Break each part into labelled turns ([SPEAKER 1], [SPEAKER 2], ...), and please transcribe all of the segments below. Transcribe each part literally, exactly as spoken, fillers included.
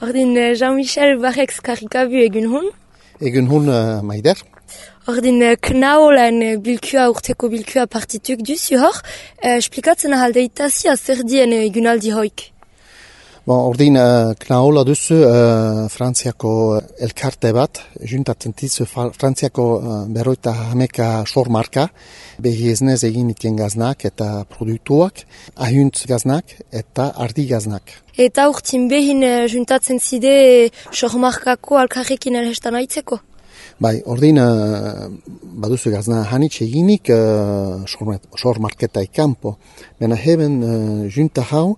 [SPEAKER 1] Ordin Jean-Michel Barrex karikabu egun hun.
[SPEAKER 2] Egun hun uh, maider.
[SPEAKER 1] Ordin knaolan bilkua urteko bilkua partituk duzu hor. Uh, esplikatzen ahaldeitazia zer dien egunaldi hoik.
[SPEAKER 2] Bon, ordin uh, knaola duzu uh, Frantziako elkarte bat, juntatzen tizu Frantziako uh, berroita hameka sormarka, behi eznez egin itien gaznak eta produktuak, ahuntz gaznak eta ardi gaznak.
[SPEAKER 1] Eta urtin behin uh, juntatzen zide sormarkako alkarrekin elhestan aitzeko?
[SPEAKER 2] Bai, ordin uh, baduzu gazna hanitz eginik uh, sormarketa ikampo. Bena heben uh, junta hau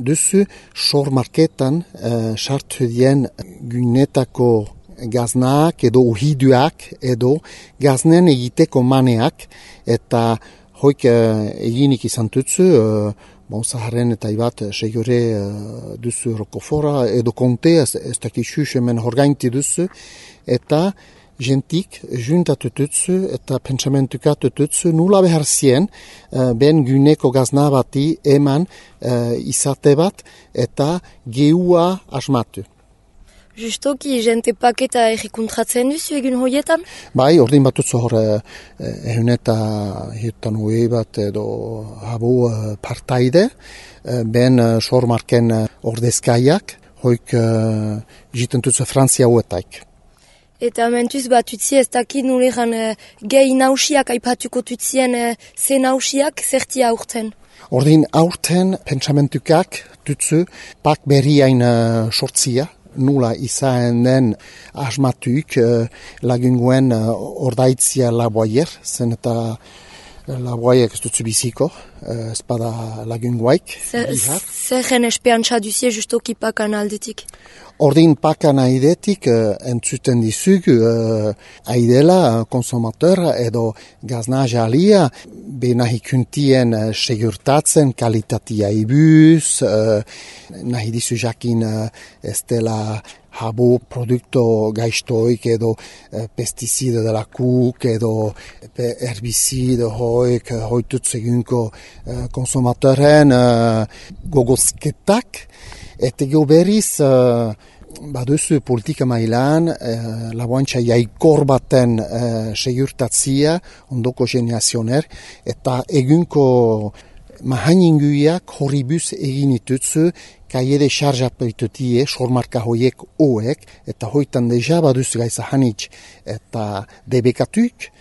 [SPEAKER 2] duzu sormarketan uh, sartu dien gunetako gaznak edo uhiduak edo gaznen egiteko maneak eta hoik uh, eginik izan tutzu uh, bon, Zaharren eta ibat segure uh, duzu rokofora edo konte ez, ez dakixus hemen horgainti duzu eta jentik juntatu tutzu eta pentsamentukatu tutzu nula behar zien uh, ben guneko gazna bati eman uh, izate bat eta geua asmatu.
[SPEAKER 1] Justoki, jente paketa errekontratzen duzu egun hoietan?
[SPEAKER 2] Bai, ordin batutzu hor ehun eta hiutan hoi bat edo habu uh, partaide, uh, ben uh, sormarken uh, ordezkaiak, hoik uh, jiten tutzu Frantzia huetaik.
[SPEAKER 1] Eta mentuz bat utzi ez dakit nuleran uh, gehi nausiak aipatuko tutzien uh, ze nausiak zertia aurten?
[SPEAKER 2] Ordin aurten pentsamentukak tutzu pak berriain uh, sortzia, nula izan den asmatuik uh, lagunguen uh, ordaitzia laboaier, zen eta laboaiek ez dutzu biziko, uh, ez bada lagunguaik.
[SPEAKER 1] Zerren espeantza duzie justoki pakan aldetik?
[SPEAKER 2] Ordin pakan aidetik uh, entzuten dizug uh, aidela uh, konsumateur edo gazna jalia benahikuntien uh, segurtatzen kalitatia ibuz, uh, nahi dizu jakin uh, ez dela habu produkto gaiztoik edo uh, pesticide dela kuk edo herbicide hoik hoitutz egunko uh, konsumateuren uh, gogozketak eta geoberiz uh, baduzu politika mailan uh, laboantxa jaikor baten uh, segurtatzia ondoko generazioner eta egunko mahaninguiak horribuz egin itutzu kaiede xarjapelitutie sormarka hoiek oek eta hoitan deja baduzu gaiza hanitz eta debekatuk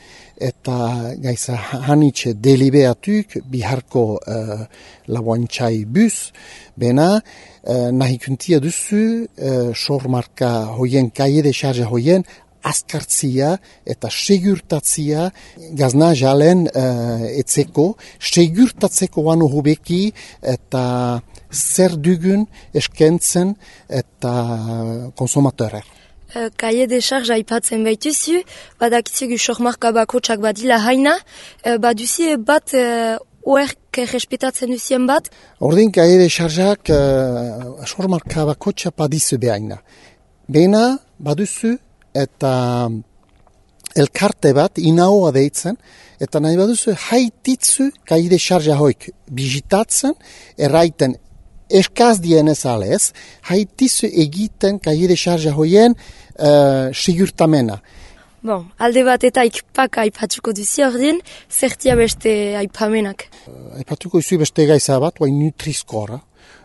[SPEAKER 2] eta gaiza hanitz delibeatuk biharko uh, laboantxai buz, bena uh, nahikuntia duzu uh, sormarka hoien kaiede xarja hoien azkartzia eta segurtatzia gazna jalen uh, etzeko, segurtatzeko banu hobeki eta zer dugun eskentzen eta konsumateurer.
[SPEAKER 1] Kaie de charge aipatzen baituzu, badakitzugu sormarka bakotsak badila haina, baduzi bat uh, oerk respetatzen duzien bat?
[SPEAKER 2] Ordin kaie de chargeak uh, sormarka bakotsak badizu behaina. Bena baduzu eta elkarte bat inaoa deitzen, eta nahi baduzu haititzu kaide xarja hoik bizitatzen, erraiten eskaz dienez alez, haitizu egiten kaide xarja hoien uh, sigurtamena.
[SPEAKER 1] Bon, alde bat eta ikpak aipatuko duzi ordin, zertia beste aipamenak?
[SPEAKER 2] Uh, aipatuko duzu beste gaiza bat, guai nutrizkora.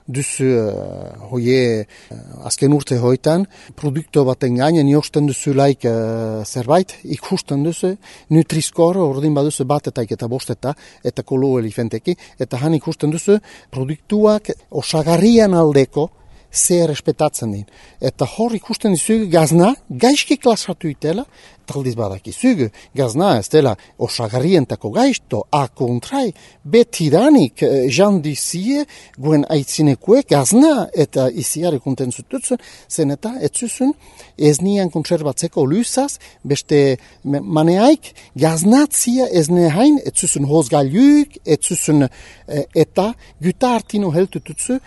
[SPEAKER 2] Duzu uh, hoie uh, azken urte hoitan, produkto baten gainen josten duzu laik uh, zerbait, ikusten duzu, nutrizkor, ordin baduzu bat eta eta bosteta, eta kolo elifenteki, eta han ikusten duzu produktuak osagarrian aldeko zer respetatzen din. Eta hor ikusten dizugu gazna, gaizki klasatu itela, taldiz badakizugu, gazna ez dela osagarrientako gaizto, a kontrai, betidanik eh, jan dizie, guen aitzinekuek gazna eta iziare konten zututzen, zen eta etzuzun ez nian kontserbatzeko luzaz, beste maneaik, gaznatzia ez nehain, etzuzun hozgailuk, etzuzun eh, eta guta hartino heltututzu,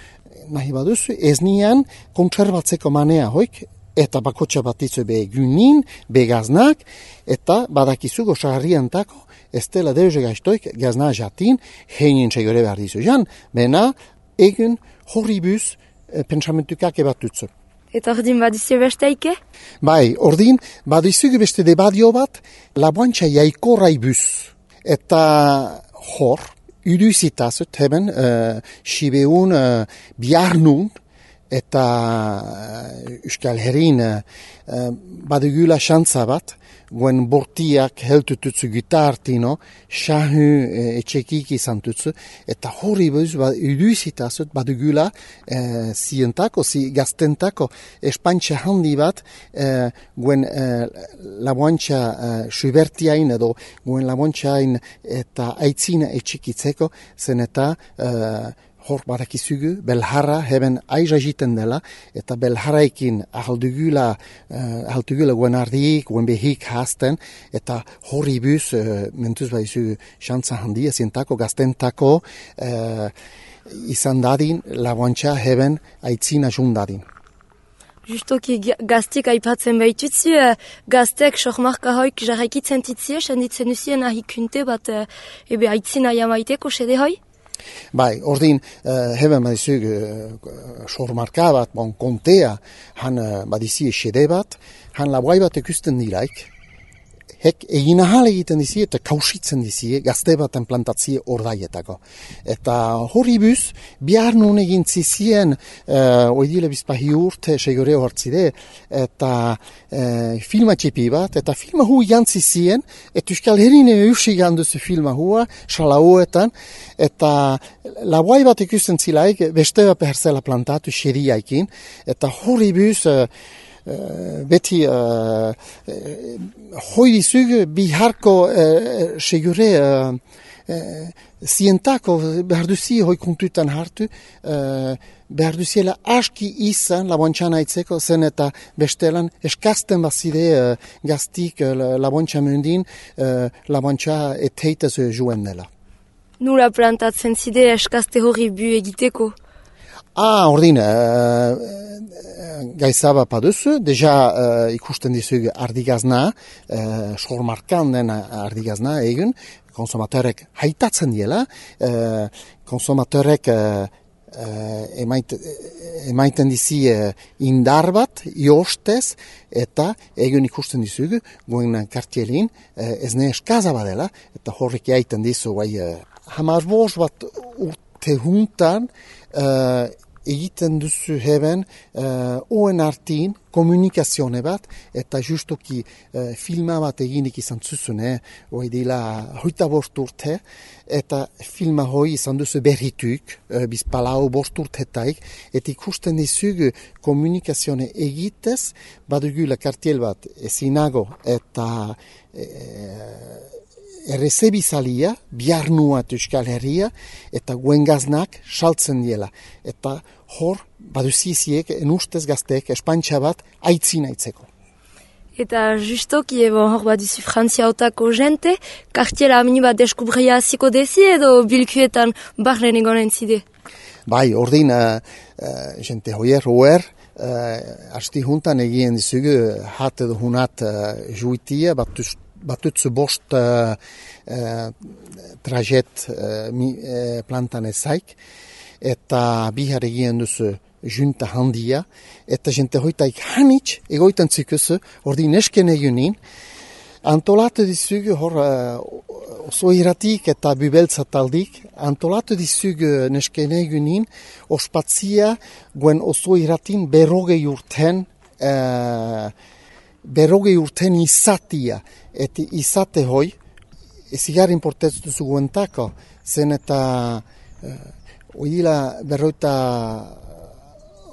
[SPEAKER 2] nahi baduzu, ez nian kontserbatzeko manea hoik, eta bakotxa batitzu be gunin, be gaznak, eta badakizu gozagarriantako, ez dela deuze gaiztoik gazna jatin, heinin segure behar dizu jan, bena egun horribuz e, pentsamentukak ebatutzu.
[SPEAKER 1] Eta ordin baduzie besteike?
[SPEAKER 2] Bai, ordin, baduzugu beste debadio bat, laboantxa jaikorrai buz. Eta hor, uduzitazut heben, uh, sibeun uh, biarnun, eta uh, Euskal Herrin uh, badugula xantza bat, guen bortiak heltututzu gitartino, xahu uh, etxekik izan tutzu, eta hori buz, ba, uduzitazut badugula uh, zientako, zi gaztentako, espantxa handi bat, uh, guen uh, laboantxa uh, subertiain edo guen laboantxain eta aitzina etxikitzeko, zen eta uh, hor badakizugu, belharra heben aiza jiten dela, eta belharraikin ahaldugula, uh, ahaldugula guen ardik, guen behik hasten, eta horri buz, uh, mentuz baizu xantza handia, zientako, gaztentako, uh, izan dadin, laboantxa heben aitzina jun dadin.
[SPEAKER 1] Justoki gaztik aipatzen behitutzi, gaztek sohmarka hoik jarraikitzen titzie, senditzen usien ahikunte bat ebe aitzina jamaiteko sede hoi?
[SPEAKER 2] Bai, ordin, uh, heben badizug uh, sohmarka bat, bon, kontea, han uh, badizie sede bat, han laboai bat ekusten dilaik, hek egin ahal egiten dizie eta kausitzen dizie gazte baten plantatzie ordaietako. Eta hori buz, bihar nun egin zizien, uh, oidile bizpahi urte segoreo hartzide, eta uh, filma txipi bat, eta filma hu jantzi zien, eta Euskal Herrine eusi ganduzu filma hua, salauetan, eta laboai bat ikusten zilaik, beste bat beherzela plantatu xeriaikin, eta hori buz, uh, Uh, beti uh, uh, hoi dizug biharko uh, segure uh, uh, zientako behar duzi hoi kontutan hartu uh, behar duziela aski izan laboantxan aitzeko zen eta bestelan eskazten bazide uh, gaztik uh, laboantxa mundin uh, laboantxa eteitez juen dela.
[SPEAKER 1] Nula plantatzen zide eskazte hori bu egiteko?
[SPEAKER 2] Ah, ordin, uh, gaizaba paduzu, deja uh, ikusten dizug ardigazna, uh, sormarkan den ardigazna egun, konsumatorek haitatzen diela, uh, konsumatorek uh, uh, emait, emaiten dizi uh, indar bat, jostez, eta egun ikusten dizug, guen kartielin, uh, ez ne eskaza badela, eta horrek jaiten dizu, bai, uh, hamar bost bat urte juntan, uh, egiten duzu heben uh, oen artin komunikazione bat, eta justoki uh, filma bat eginik izan zuzune, hoi dila hoita bost urte, eta filma hoi izan duzu berrituk, uh, bizpalau bost urtetaik, eta ikusten dizugu komunikazione egitez, badugula kartiel bat ezinago, eta uh, errezebizalia, biarnuat Euskal Herria, eta guengaznak saltzen diela. Eta hor, baduziziek, enustez gazteek, espantxa bat, aitzina aitzeko.
[SPEAKER 1] Eta justoki, ebo, hor baduzi Frantzia otako jente, kartiela amini bat deskubria ziko dezi edo bilkuetan barren egonen zide?
[SPEAKER 2] Bai, ordin, uh, uh, jente hoier, hoer, uh, asti juntan egien dizugu, hat edo hunat uh, juitia, batuz batutzu bost uh, uh, trajet uh, mi, uh, plantan ezaik, eta bihar egien duzu junta handia, eta jente hoitaik hanitz egoitan zikuzu, ordi nesken egunin, antolatu dizugu hor uh, oso iratik eta bubeltza taldik, antolatu dizugu nesken egunin, ospatzia guen oso iratin berrogei urten, uh, berrogei urten izatia, eta izate hoi, ezigar importetzu duzu guentako, zen eta uh, oidila berroita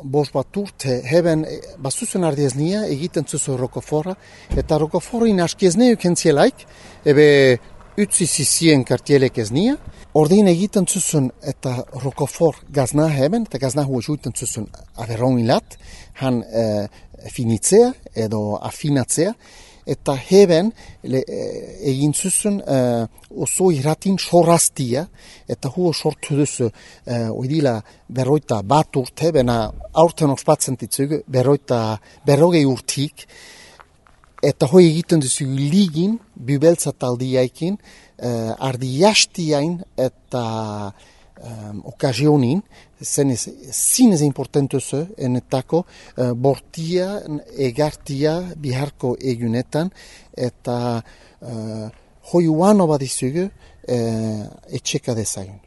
[SPEAKER 2] bost bat urte, heben bazuzen ardiez nia, egiten zuzu rokoforra, eta rokoforrin askiez neuk entzielaik, ebe utzi zizien kartielek ez nia, ordin egiten zuzun eta rokofor gazna heben, eta gazna hua juiten zuzun averron ilat, han uh, finitzea edo afinatzea, eta heben le, egin zuzun uh, oso irratin sorraztia, eta huo sortu duzu uh, oidila berroita bat urte, bena aurten ospatzen ditzug, berroita berrogei urtik, eta hoi egiten duzu ligin, bubeltza taldiaikin, uh, ardi jastiain eta um, okazionin, zenez, zinez importantuzu enetako uh, bortia, egartia biharko egunetan, eta uh, hoi uano badizugu uh, etxeka dezagun.